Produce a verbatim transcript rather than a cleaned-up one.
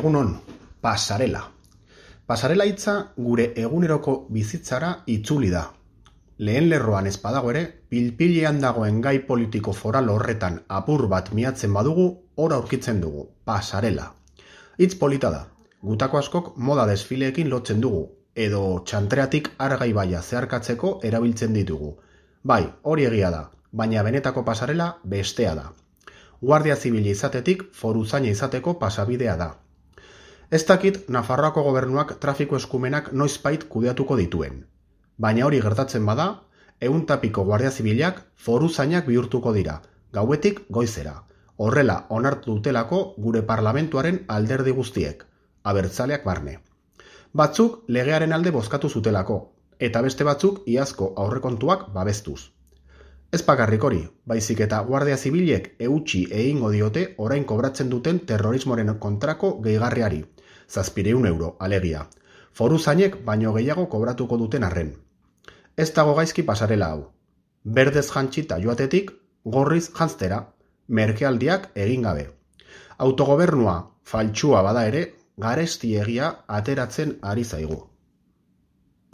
Egunon, pasarela. Pasarela hitza gure eguneroko bizitzara itzuli da. Lehen lerroan ez badago ere, pilpilean dagoen gai politiko foral horretan apur bat miatzen badugu, hor aurkitzen dugu, pasarela. Hitz polita da, gutako askok moda desfileekin lotzen dugu, edo txantreatik argai baia zeharkatzeko erabiltzen ditugu. Bai, hori egia da, baina benetako pasarela bestea da. Guardia Zibila izatetik foruzaina izateko pasabidea da. Ez dakit Nafarroako gobernuak trafiko eskumenak noizbait kudeatuko dituen. Baina hori gertatzen bada, ehun eta piko Guardia Zibilak foruzainak bihurtuko dira, gauetik goizera. Horrela onartu dutelako gure parlamentuaren alderdi guztiek, abertzaleak barne. Batzuk legearen alde bozkatu zutelako, eta beste batzuk iazko aurrekontuak babestuz. Ez bakarrik hori, baizik eta Guardia Zibilek eutsi egingo diote orain kobratzen duten terrorismoren kontrako gehigarriari, zazpireun euro alegia. Foruzainek baino gehiago kobratuko duten arren. Ez dago gaizki pasarela hau. Berdez jantzita joatetik, gorriz jantztera, merkealdiak egin gabe. Autogobernua faltsua bada ere, garesti egia ateratzen ari zaigu.